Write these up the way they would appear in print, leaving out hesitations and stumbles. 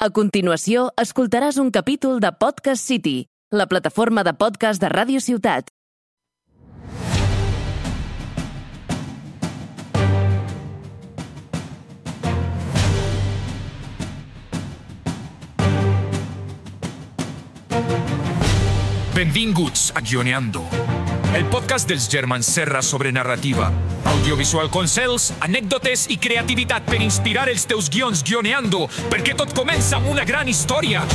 A continuació, escoltaràs un capítol de Podcast City, la plataforma de podcast de Ràdio Ciutat. Benvinguts a Guioneando, el podcast dels germans Serra sobre narrativa, audiovisual consells, anècdotes i creativitat per inspirar els teus guions guioneando, perquè tot comença amb una gran història.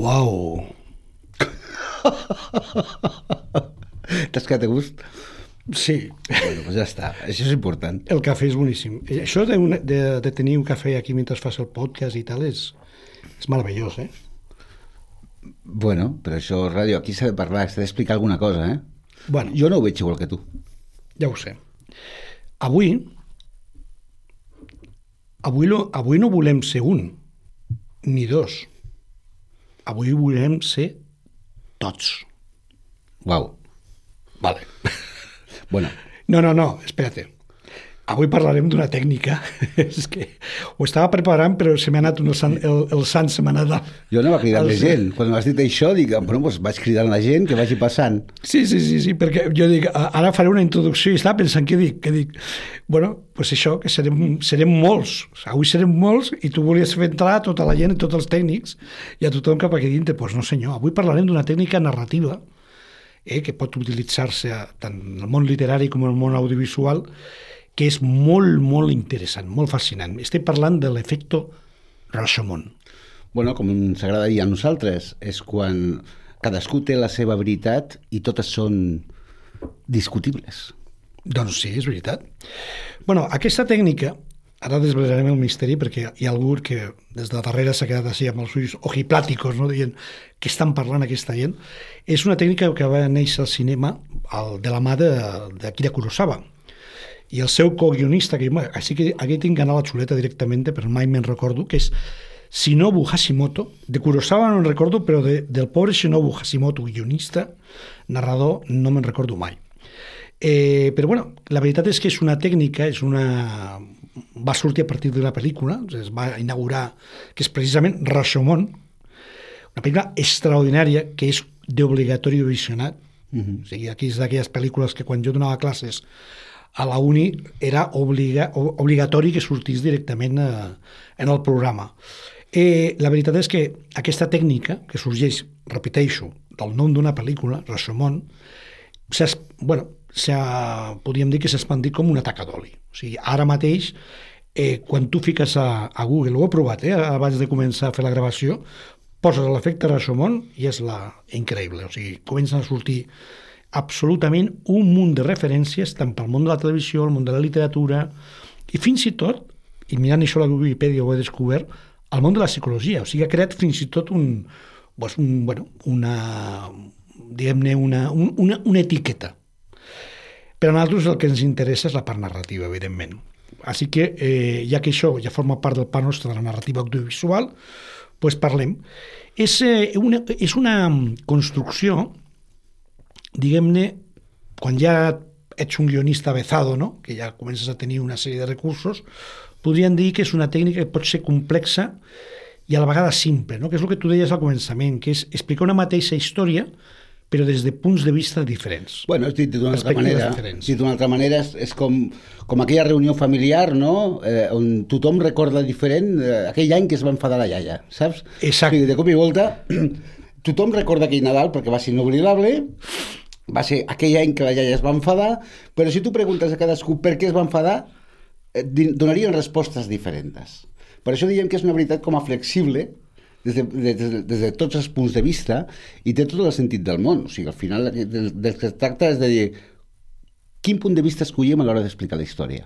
Uau! T'has quedat a gust? Sí. Bueno, doncs ja està. Això és important. El cafè és boníssim. Això de tenir un cafè aquí mentre fas el podcast i tal és meravellós, eh? Bueno, però això, ràdio, aquí s'ha de parlar, s'ha d'explicar alguna cosa, eh? Bueno, Jo no ho veig igual que tu. ja ho sé. Avui no volem ser un, ni dos. Avui volem ser tots. Uau. Vale. Bueno, No, espérate. Avui parlarem d'una tècnica. És que ho estava preparant, però se m'ha anat el sant se m'ha anat... jo anava cridant la gent. Quan m'has dit això, dic, bueno, doncs vaig cridant la gent que vagi passant. Sí, perquè jo dic, ara faré una introducció i estava pensant què dic. Bueno, doncs això, que serem molts. Avui serem molts i tu volies fer entrar tota la gent, tots els tècnics i a tothom cap aquí dintre. Doncs no senyor, avui parlarem d'una tècnica narrativa que pot utilitzar-se tant en el món literari com en el món audiovisual, que és molt, molt interessant, molt fascinant. Estem parlant de l'efecte Rashomon. Bueno, com ens agrada dir a nosaltres, és quan cadascú té la seva veritat i totes són discutibles. Doncs sí, és veritat. Bueno, aquesta tècnica, ara desvelarem el misteri perquè hi ha algú que des de darrere s'ha quedat així amb els ulls ojiplàticos, no? Dient què estan parlant aquesta gent. És una tècnica que va néixer al cinema de la mà d'Akira Kurosawa. I el seu co-guionista, que així que aquí tinc anar la xuleta directament, però mai me'n recordo, que és Shinobu Hashimoto. De Kurosawa no me'n recordo, però del pobre Shinobu Hashimoto, guionista, narrador, no me'n recordo mai. Però bueno, la veritat és que és una tècnica, va sortir a partir d'una pel·lícula, es va inaugurar, que és precisament Rashomon, una pel·lícula extraordinària que és d'obligatori visionat. O sigui, aquí és d'aquelles pel·lícules que quan jo donava classes a la uni era obligatori que sortís directament en el programa. La veritat és que aquesta tècnica, que sorgeix, repeteixo, del nom d'una pel·lícula, Rashomon, podríem dir que s'ha expandit com una taca d'oli. O sigui, ara mateix, quan tu fiques a Google, ho he provat, abans de començar a fer la gravació, poses l'efecte Rashomon i és increïble. O sigui, comencen a sortir absolutament un munt de referències tant pel món de la televisió, el món de la literatura i fins i tot, i mirant això a la Wikipedia ho he descobert, el món de la psicologia. O sigui, ha creat fins i tot una etiqueta. Per a nosaltres el que ens interessa és la part narrativa, evidentment. Així que, ja que això ja forma part del pa nostre de la narrativa audiovisual, doncs parlem. És una construcció, diguem-ne, quan ja ets un guionista avezado, no? Que ja comences a tenir una sèrie de recursos, podríem dir que és una tècnica que pot ser complexa i a la vegada simple, no? Que és el que tu deies al començament, que és explicar una mateixa història però des de punts de vista diferents. Bueno, dit d'una altra manera, és com aquella reunió familiar, no? On tothom recorda diferent aquell any que es va enfadar la iaia, saps? Exacte. O sigui, de cop i volta, tothom recorda aquell Nadal perquè va ser inoblidable, va ser aquell any que la iaia es va enfadar, però si tu preguntes a cadascú per què es va enfadar, donarien respostes diferents. Per això diem que és una veritat com a flexible, des de tots els punts de vista, i té tot el sentit del món. O sigui, al final del que es tracta és de dir quin punt de vista escollem a l'hora d'explicar la història?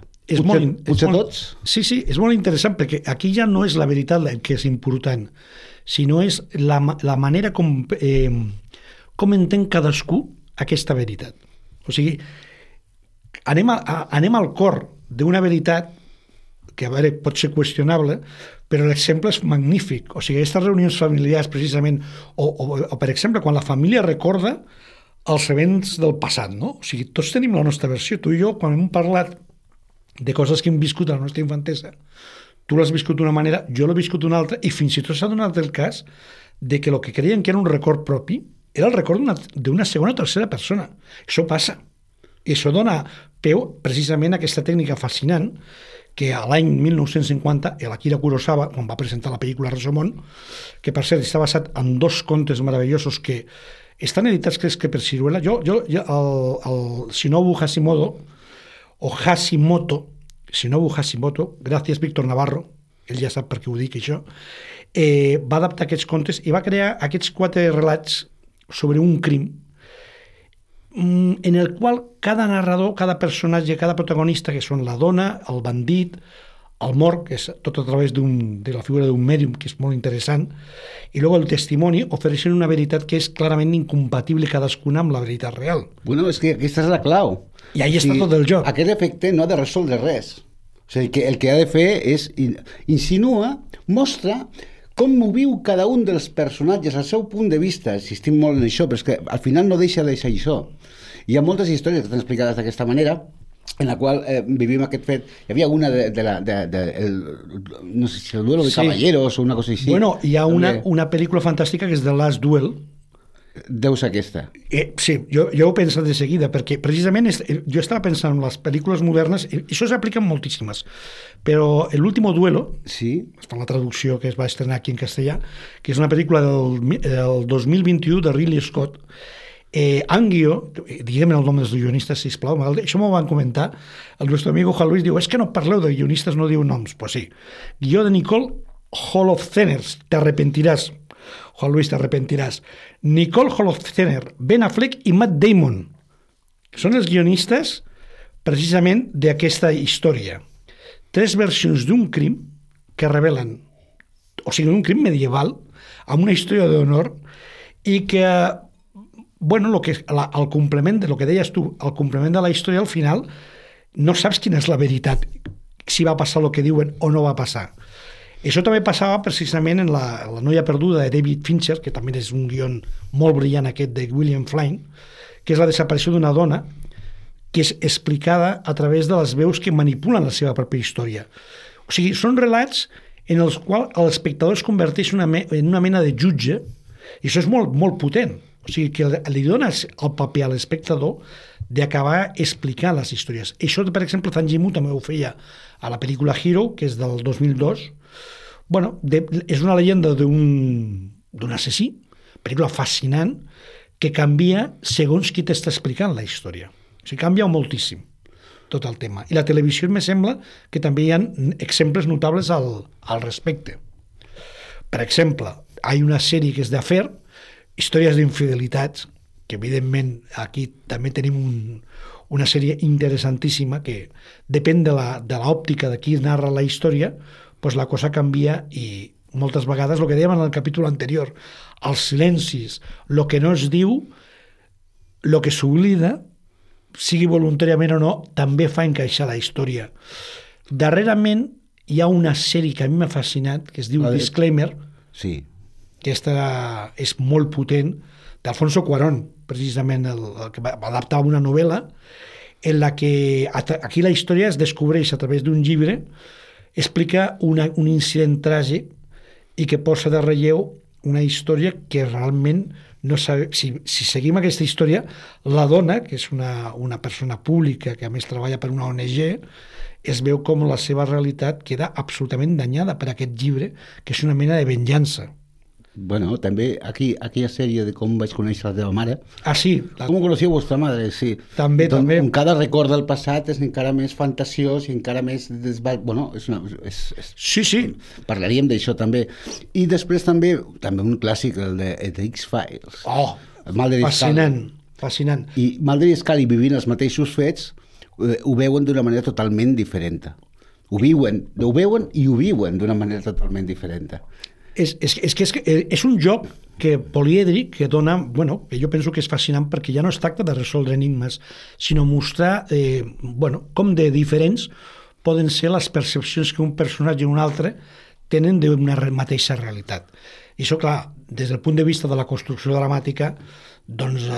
Potser tots? Sí, és molt interessant, perquè aquí ja no és la veritat el que és important, sinó és la manera com entén cadascú aquesta veritat. O sigui, anem al cor d'una veritat que, a veure, pot ser qüestionable, però l'exemple és magnífic. O sigui, aquestes reunions familiars, precisament, o per exemple, quan la família recorda els events del passat, no? O sigui, tots tenim la nostra versió. Tu i jo, quan hem parlat de coses que hem viscut a la nostra infantesa, tu l'has viscut d'una manera, jo l'he viscut d'una altra, i fins i tot s'ha donat el cas de que el que creien que era un record propi era el record d'una segona o tercera persona. Això passa. I això dona peu precisament a aquesta tècnica fascinant que a l'any 1950 l'Akira Kurosawa, quan va presentar la pel·lícula Rashomon, que per cert està basat en 2 contes meravellosos que estan editats, crec que per Siruela, el Shinobu Hashimoto, gràcies Víctor Navarro, ell ja sap per què ho dic això, va adaptar aquests contes i va crear aquests 4 relats sobre un crim en el qual cada narrador, cada personatge, cada protagonista, que són la dona, el bandit, el mort, que és tot a través de la figura d'un mèdium, que és molt interessant, i després el testimoni, ofereixen una veritat que és clarament incompatible cadascuna amb la veritat real. Bueno, és que aquesta és la clau. I ahí està tot el joc. Aquest efecte no ha de resoldre res. O sigui, que el que ha de fer és insinua, mostra com ho viu cada un dels personatges al seu punt de vista. Insistim molt en això, però és que al final no deixa això. Hi ha moltes històries que estan explicades d'aquesta manera, en la qual vivim aquest fet. Hi havia una no sé si el duelo de caballeros o una cosa així. Bueno, hi ha una pel·lícula fantàstica que és The Last Duel. Deu ser aquesta. Sí, jo ho he pensat de seguida, perquè precisament jo estava pensant en les pel·lícules modernes, i això s'aplica en moltíssimes, però l'último duelo, sí, per la traducció que es va estrenar aquí en castellà, que és una pel·lícula del 2021 de Ridley Scott, Angio, diguem el nom dels guionistes, sisplau, això m'ho van comentar, el nostre amigo Juan Luis diu, és que no parleu de guionistes, no diu noms. Pues sí, guió de Nicole Holofcener, t'arrepentiràs, Juan Luis, t'arrepentiràs. Nicole Holofcener, Ben Affleck i Matt Damon són els guionistes precisament d'aquesta història. 3 versions d'un crim que revelen, o sigui, un crim medieval amb una història d'honor i que, bueno, el complement de lo que deies tu, el complement de la història, al final no saps quina és la veritat, si va passar el que diuen o no va passar. Això també passava precisament en la noia perduda de David Fincher, que també és un guion molt brillant aquest de William Flynn, que és la desaparició d'una dona que és explicada a través de les veus que manipulen la seva pròpia història. O sigui, són relats en els quals l'espectador es converteix en una mena de jutge, i això és molt, molt potent. O sigui, que li dones el paper a l'espectador d'acabar explicant les històries. Això, per exemple, Tanjimu també ho feia a la pel·lícula Hero, que és del 2002. Bueno, és una llegenda d'un assassí, pel·lícula fascinant, que canvia segons qui t'està explicant la història. O sigui, canvia moltíssim tot el tema. I la televisió me sembla que també hi ha exemples notables al respecte. Per exemple, hi ha una sèrie que és d'Affair, històries d'infidelitats, que evidentment aquí també tenim una sèrie interessantíssima que depèn de l'òptica de qui narra la història, doncs la cosa canvia i moltes vegades el que dèiem en el capítol anterior, els silencis, el que no es diu, el que s'oblida, sigui voluntàriament o no, també fa encaixar la història. Darrerament hi ha una sèrie que a mi m'ha fascinat, que es diu Disclaimer, sí, que aquesta és molt potent, d'Alfonso Cuarón, precisament el que va adaptar una novel·la, en la que aquí la història es descobreix a través d'un llibre, explica un incident tràgic i que posa de relleu una història que realment no sabe, si seguim aquesta història, la dona, que és una persona pública que a més treballa per una ONG, es veu com la seva realitat queda absolutament danyada per aquest llibre, que és una mena de venjança. Bueno, també aquella sèrie de com vaig conèixer la teva mare. Ah, sí. Com coneixia vostra madre, sí. També, doncs, també. Cada record del passat és encara més fantasiós i encara més... Bueno, sí, sí. Parlaríem d'això també. I després també un clàssic, el de The X-Files. Oh, fascinant, fascinant. I Mulder i Scully vivint els mateixos fets, ho veuen d'una manera totalment diferent. Ho veuen i ho viuen d'una manera totalment diferent. És un joc polièdric que dona, que jo penso que és fascinant perquè ja no es tracta de resoldre enigmes, sinó mostrar com de diferents poden ser les percepcions que un personatge i un altre tenen d'una mateixa realitat. I això, clar, des del punt de vista de la construcció dramàtica, doncs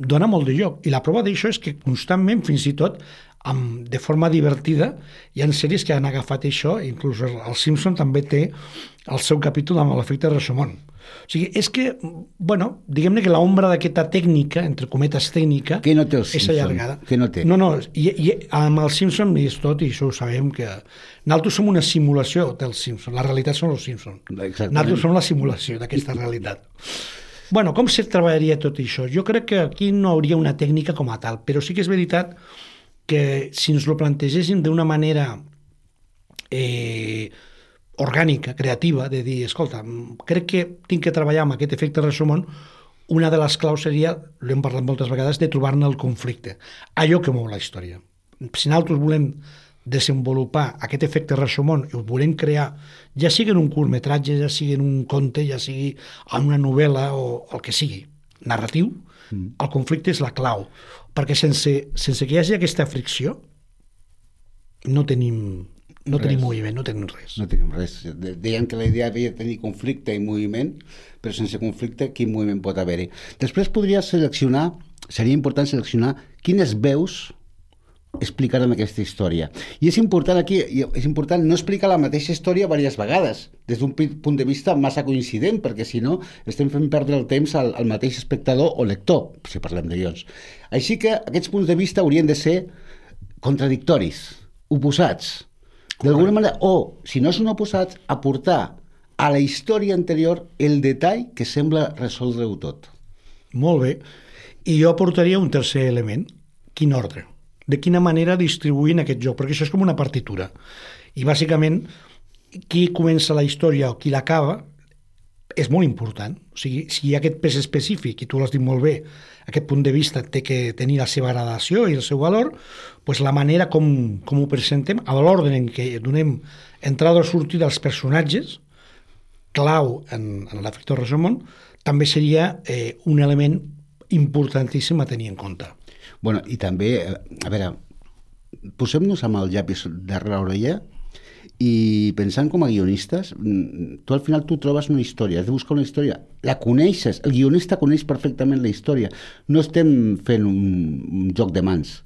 dona molt de joc. I la prova d'això és que constantment, fins i tot, de forma divertida, hi ha sèries que han agafat això, inclús el Simpson també té el seu capítol amb l'efecte Rashomon. O sigui, és que, diguem-ne que l'ombra d'aquesta tècnica, entre cometes tècnica, que no té el Simpson, és allargada. Que no té. No, i amb el Simpson és tot, i això ho sabem, que nosaltres som una simulació del Simpson, la realitat són els Simpson. Nosaltres som la simulació d'aquesta realitat. Com se treballaria tot això? Jo crec que aquí no hauria una tècnica com a tal, però sí que és veritat que si ens ho plantegéssim d'una manera orgànica, creativa, de dir, escolta, crec que tinc que treballar amb aquest efecte Rashomon, una de les claus seria, l'hem parlat moltes vegades, de trobar-ne el conflicte, allò que mou la història. Si nosaltres volem desenvolupar aquest efecte Rashomon i ho volem crear, ja sigui en un curtmetratge, ja sigui en un conte, ja sigui en una novel·la o el que sigui, narratiu, el conflicte és la clau, perquè sense que hi hagi aquesta fricció no tenim moviment, no tenim res. No tenim res. Deien que la idea havia de tenir conflicte i moviment, però sense conflicte quin moviment pot haver-hi? Després seria important seleccionar quines veus explicaran aquesta història. I és important no explicar la mateixa història diverses vegades, des d'un punt de vista massa coincident, perquè si no estem fent perdre el temps al mateix espectador o lector, si parlem de guions. Així que aquests punts de vista haurien de ser contradictoris, oposats, d'alguna manera, o, si no són oposats, aportar a la història anterior el detall que sembla resoldre-ho tot. Molt bé. I jo aportaria un tercer element. Quin ordre? De quina manera distribuïn aquest joc? Perquè això és com una partitura. I, bàsicament, qui comença la història o qui l'acaba és molt important. O sigui, si hi ha aquest pes específic, i tu l'has dit molt bé, aquest punt de vista té que tenir la seva gradació i el seu valor, doncs la manera com ho presentem, a l'ordre en què donem entrada o sortida als personatges, clau en l'efecte Rashomon, també seria un element importantíssim a tenir en compte. I també, a veure, posem-nos amb el llapis darrere l'orella i pensant com a guionistes, tu al final trobes una història, has de buscar una història, la coneixes, el guionista coneix perfectament la història, no estem fent un joc de mans,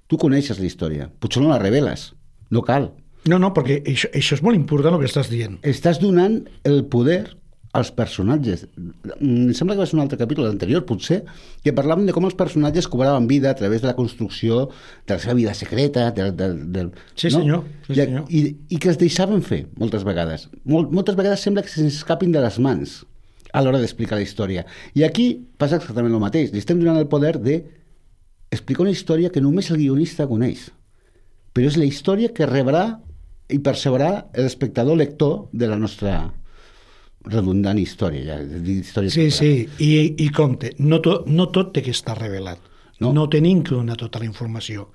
tu coneixes la història, potser no la reveles, no cal. No, perquè això és molt important el que estàs dient. Estàs donant el poder als personatges. Em sembla que va ser un altre capítol anterior, potser, que parlàvem de com els personatges cobraven vida a través de la construcció de la seva vida secreta, Sí, senyor. Sí, senyor. I que es deixaven fer, moltes vegades. Moltes vegades sembla que s'escapin de les mans a l'hora d'explicar la història. I aquí passa exactament el mateix. Li estem donant el poder d'explicar una història que només el guionista coneix. Però és la història que rebrà i percebrà l'espectador lector de la nostra redundant història. Sí, i compte, no tot té que estar revelat. No tenim que donar tota la informació.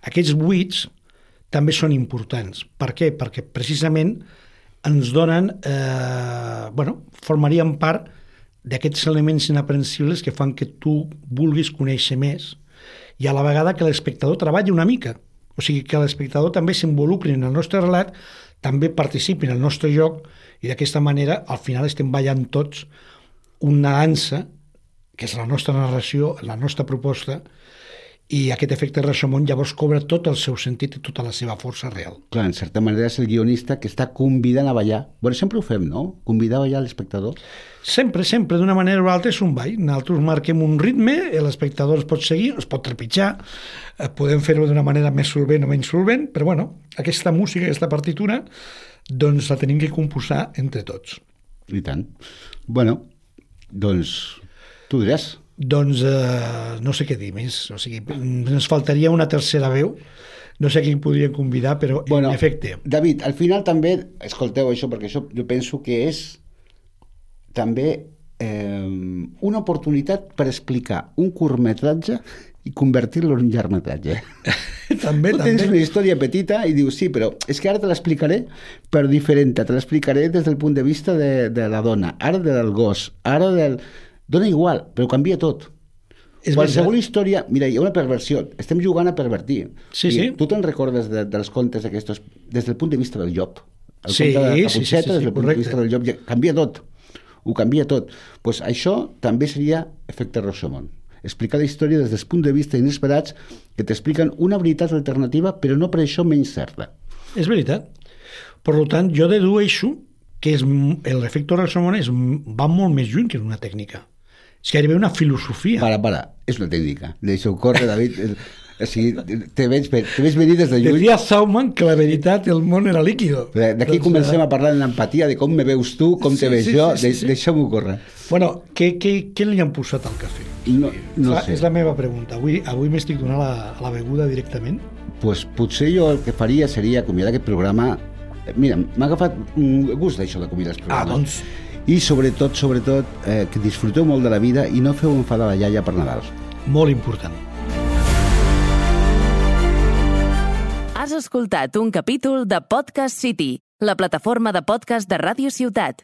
Aquests buits també són importants. Per què? Perquè precisament ens donen, formarien part d'aquests elements inaprensibles que fan que tu vulguis conèixer més i a la vegada que l'espectador treballi una mica. O sigui, que l'espectador també s'involucri en el nostre relat, també participi en el nostre joc i d'aquesta manera al final estem ballant tots una dansa que és la nostra narració, la nostra proposta, i aquest efecte Rashomon llavors cobra tot el seu sentit i tota la seva força real. Clar, en certa manera és el guionista que està convidant a ballar. Bueno, sempre ho fem, no? Convidar a ballar l'espectador. Sempre, d'una manera o altra és un ball. Nosaltres marquem un ritme, l'espectador es pot seguir, es pot trepitjar, podem fer-ho d'una manera més solvent o menys solvent, però aquesta música, aquesta partitura, doncs la tenim que composar entre tots. I tant. Doncs tu diràs. Doncs no sé què dir més. O sigui, ens faltaria una tercera veu. No sé a qui podríem convidar, però en efecte. David, al final també, escolteu això, perquè això jo penso que és també una oportunitat per explicar un curtmetratge i convertir-lo en un llargmetratge. També, Tu tens una història petita i dius, sí, però és que ara te l'explicaré per diferent, te l'explicaré des del punt de vista de la dona, ara del gos, ara del... Dona igual, però canvia tot. Qualsevol història... Mira, hi ha una perversió. Estem jugant a pervertir. Sí, sí. Tu te'n recordes dels contes aquests des del punt de vista del llop? El Sí, conte de la sí, Caputxeta, des del punt de correcte. vista del llop, ja canvia tot. Ho canvia tot. Pues això també seria efecte Rashomon. Explicar la història des del punt de vista inesperats que t'expliquen una veritat alternativa, però no per això menys certa. És veritat. Per tant, jo dedueixo que l'efecte Rashomon va molt més lluny que una tècnica. És gairebé una filosofia. Para, és una tècnica. Deixa-ho córrer, David. O sigui, te veig venir des de lluny. Decía Sauman que la veritat, el món era líquido. D'aquí comencem a parlar d'empatia, de com me veus tu, com te veig jo, deixa-m'ho córrer. Bueno, què li han posat al cafè? No sé. És la meva pregunta. Avui m'estic donant la beguda directament? Pues potser jo el que faria seria acomiadar aquest programa. Mira, m'ha agafat un gust d'això d'acomiadar els programes. Doncs... I sobretot, que disfruteu molt de la vida i no feu enfadar la iaia per Nadal. Molt important. Has escoltat un capítol de Podcast City, la plataforma de podcast de Ràdio Ciutat.